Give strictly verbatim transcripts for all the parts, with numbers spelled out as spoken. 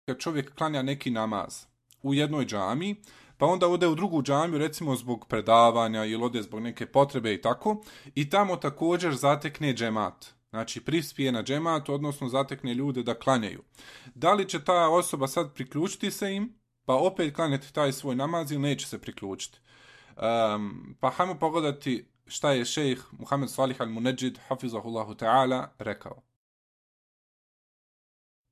kad čovjek klanja neki namaz u jednoj džami, pa onda ode u drugu džamiju, recimo zbog predavanja ili ode zbog neke potrebe i tako, i tamo također zatekne džemat. Znači prispije na džemat, odnosno zatekne ljude da klanjaju. Da li će ta osoba sad priključiti se im, pa opet klanjati taj svoj namaz ili neće se priključiti? Um, pa hajmo pogledati šta je šejh Muhammed Salih al-Munajjid, hafizahullahu ta'ala, rekao.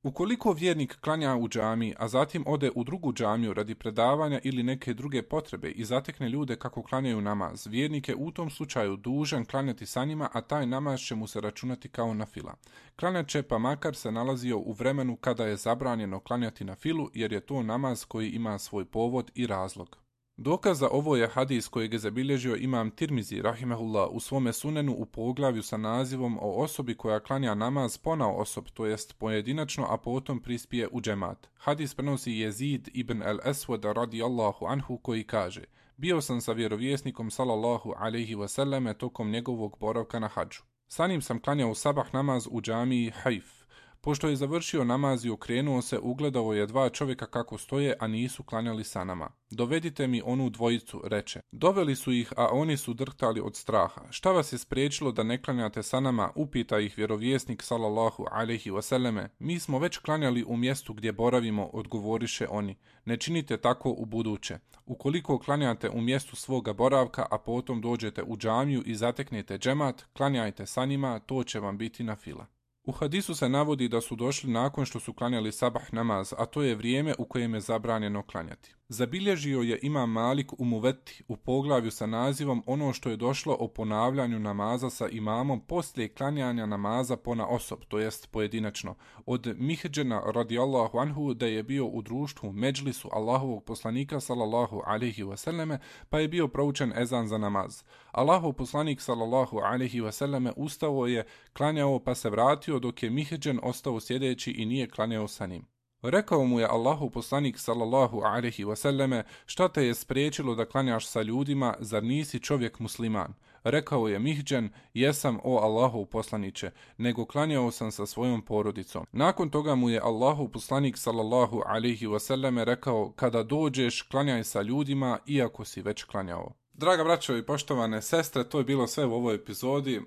Ukoliko vjernik klanja u džami, a zatim ode u drugu džamiju radi predavanja ili neke druge potrebe i zatekne ljude kako klanjaju namaz, vjernik je u tom slučaju dužan klanjati sa njima, a taj namaz će mu se računati kao nafila. Klanjat će pa makar se nalazio u vremenu kada je zabranjeno klanjati nafilu, jer je to namaz koji ima svoj povod i razlog. Dokaz za ovo je hadis kojeg je zabilježio imam Tirmizi, rahimehullah, u svome sunenu u poglavlju sa nazivom o osobi koja klanja namaz ponao osob, to jest pojedinačno, a potom prispije u džemat. Hadis prenosi Jezid ibn al-Aswad radijallahu anhu koji kaže: bio sam sa vjerovjesnikom sallallahu alejhi ve selleme tokom njegovog boravka na hadžu. Sa njim sam klanjao sabah namaz u džamiji Hajf. Pošto je završio namaz i okrenuo se, ugledao je dva čovjeka kako stoje, a nisu klanjali sa nama. Dovedite mi onu dvojicu, reče. Doveli su ih, a oni su drhtali od straha. Šta vas je spriječilo da ne klanjate sa nama, upita ih vjerovjesnik sallallahu alejhi ve selleme. Mi smo već klanjali u mjestu gdje boravimo, odgovoriše oni. Ne činite tako u buduće. Ukoliko klanjate u mjestu svoga boravka, a potom dođete u džamiju i zateknete džemat, klanjajte sa njima, to će vam biti nafila. U hadisu se navodi da su došli nakon što su klanjali sabah namaz, a to je vrijeme u kojem je zabranjeno klanjati. Zabilježio je imam Malik u Muveti u poglavlju sa nazivom ono što je došlo o ponavljanju namaza sa imamom poslije klanjanja namaza pona osob, to jest pojedinačno, od Mihđena radijallahu anhu da je bio u društvu međlisu Allahovog poslanika sallallahu alejhi ve selleme, pa je bio proučen ezan za namaz. Allahov poslanik sallallahu alejhi ve selleme ustao je, klanjao pa se vratio dok je Mihđen ostao sjedeći i nije klanjao sa njim. Rekao mu je Allahov poslanik sallallahu alejhi ve selleme: šta te je spriječilo da klanjaš sa ljudima, zar nisi čovjek musliman? Rekao je Mihđen: jesam, o Allahov poslaniće, nego klanjao sam sa svojom porodicom. Nakon toga mu je Allahov poslanik sallallahu alejhi ve selleme rekao: kada dođeš, klanjaj sa ljudima, iako si već klanjao. Draga braćo i poštovane sestre, to je bilo sve u ovoj epizodi.